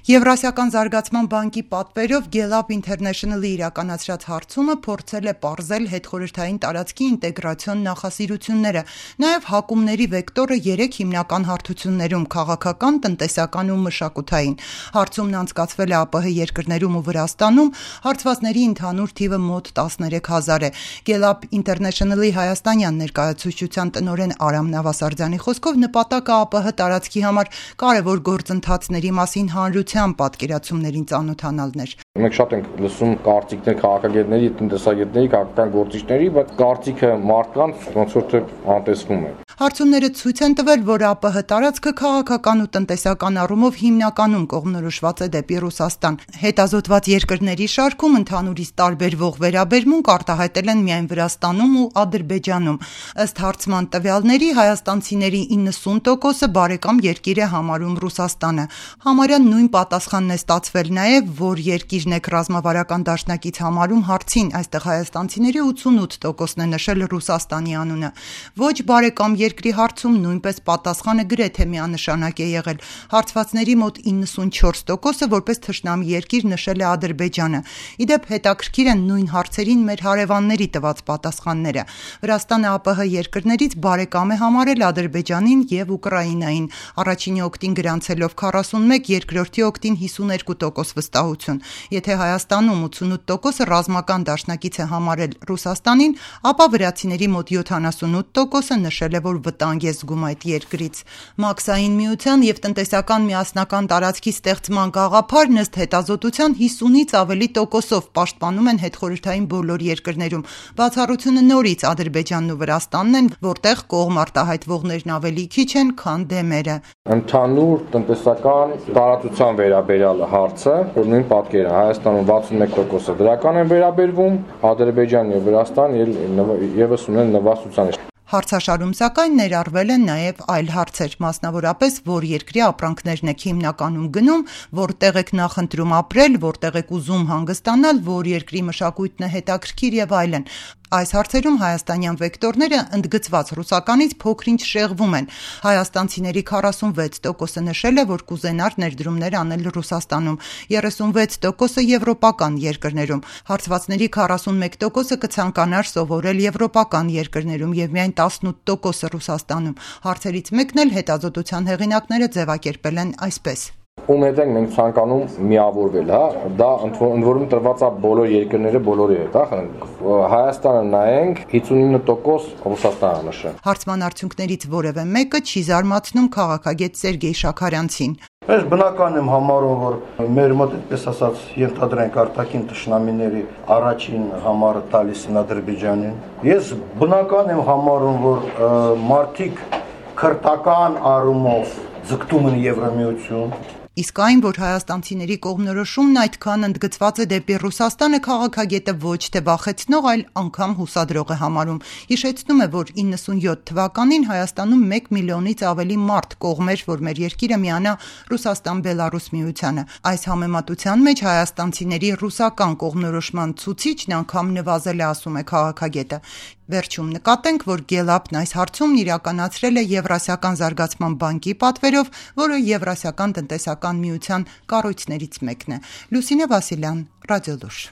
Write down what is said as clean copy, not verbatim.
Եվրասիական զարգացման բանկի պատվերով Gelab International-ի իրականացրած հարցումը փորձել է պարզել հետխորհրդային տարածքի ինտեգրացիոն նախասիրությունները, նաև հակումների վեկտորը 3 հիմնական հարթություններում՝ քաղաքական, տնտեսական ու մշակութային։ Հարցումն անցկացվել է ԱՊՀ երկրներում ու Վրաստանում, հարցվածների ընդհանուր թիվը մոտ 13,000 է։ Gelab International-ի հայաստանյան ներկայացուցչության տնօրեն Արամ Նավասարդյանի խոսքով նպատակը ԱՊՀ տարածքի համար կարևոր գործընթացների մասին հանրության պատկերացումներին ծանոթանալն էր։ Մենք շատ ենք լսում կարծիքներ քաղաքագետների, տնտեսագետների, քաղաքական գործիչների, բայց կարծիքը մարդկանց ոնց որ թե անտեսվում է։ Հարցումները ցույց են տվել, որ ԱՊՀ տարածքը քաղաքական ու տնտեսական առումով հիմնականում կողմնորոշված է դեպի Ռուսաստան։ Հետազոտված երկրների շարքում ընդհանուրից տարբերվող վերաբերմունք արտահայտել են միայն Վրաստանում ու Ադրբեջանում։ Ըստ հարցման տվյալների, հայաստանցիների 90%-ը բարեկամ երկիր է համարում Ռուսաստանը։ Համարյա նույն պատասխանն է ստացվել նաև, որ երկիրն է ռազմավարական դաշնակից համարում հարցին, այստեղ հայաստանցիների 88%-ն է նշել Ռուսաստանի անունը։ Ոչ բարեկամ երկրի հարցում նույնպես պատասխանը գրեթե միանշանակ է եղել։ Հարցվածների մոտ 94%-ը որպես թշնամի երկիր նշել է Ադրբեջանը։ Իդեպ հետաքրքիր են նույն հարցերին մեր հարևանների տված պատասխանները։ Վրաստանը ԱՊՀ երկրներից բարեկամ է համարել Ադրբեջանին և Ուկրաինային, առաջինի օգտին գրանցելով 41, երկրորդի օգտին 52% վստահություն։ Եթե Հայաստանում 88%-ը ռազմական դաշնակից է համարել Ռուսաստանին, ապա վրացիների մոտ 78%-ը նշել է, որ վտանգ է զգում այդ երկրից։ Մաքսային միության և տնտեսական միասնական տարածքի ստեղծման գաղափարն ըստ հետազոտության 50-ից ավելի տոկոսով պաշտպանում են հետխորհրդային բոլոր երկրներում։ Բացառությունը նորից Ադրբեջանն ու Վրաստանն են, որտեղ կողմ արտահայտվողներն ավելի քիչ են, քան դեմերը։ Ընդհանուր տնտեսական տարածության վերաբերյալ հարցը, որ նույն պատկերը Հայաստանում 61%-ը դրական են վերաբերվում, Ադրբեջան և Վրաստան ևս ունեն նվաստության։ Հարցաշարում սակայն ներառվել են նաև այլ հարցեր, մասնավորապես, որ երկրի ապրանքներն եք հիմնականում գնում, որտեղ եք նախընտրում ապրել, որտեղ եք ուզում հանգստանալ, որ երկրի մշակույթն է հետաքրքիր եւ այլն։ Այս հարցերում հայաստանյան վեկտորները ընդգծված ռուսականից փոքր-ինչ շեղվում են։ Հայաստանցիների 46%-ը նշել է, որ կուզենար ներդրումներ անել Ռուսաստանում, 36%-ը եվրոպական երկրներում։ Հարցվածների 41%-ը կցանկանար սովորել եվրոպական երկրներում եւ միայն 18%-ը Ռուսաստանում։ Հարցերից մեկն էլ հետազոտության հեղինակները ձևակերպել են այսպես. Ում հետ ենք մենք ցանկանում միավորվել, դա ընդ որում տրված է բոլոր երկրները բոլորի հետ, Հայաստանը նայենք 59% Ռուսաստանը նշել։ Հարցման արդյունքներից որևէ մեկը չի զարմացնում քաղաքագետ Սերգեյ Շաքարյանցին։ Ես բնական եմ համարում, որ մեր մոտ այդպես ասած ենթադրենք արտաքին թշնամիների առաջին համարը տալիս են Ադրբեջանին։ Ես բնական եմ համարում, որ մարդիկ քրտական առումով ձգտում են Եվրամիություն։ Իսկ այն, որ հայաստանցիների կողմնորոշումն այդքան ընդգծված է դեպի Ռուսաստանը, քաղաքագետը ոչ թե վախեցնող, այլ անգամ հուսադրող է համարում։ Հիշեցնում է, որ 97 թվականին Հայաստանում 1 միլիոնից ավելի մարդ կողմեր, որ մեր երկիրը միանա Ռուսաստան-Բելարուս միությանը։ Այս համեմատության մեջ հայաստանցիների ռուսական կողմնորոշման ցուցիչն անգամ նվազել է, ասում է քաղաքագետը։ Վերջում նկատենք, որ Gelab-ն այս հարցումն իրականացրել է Եվրասիական զարգացման բանկի պատվերով, որը Եվրասիական տնտեսական միության կառույցներից մեկն է։ Լուսինե Վասիլյան, Ռադիոլուր։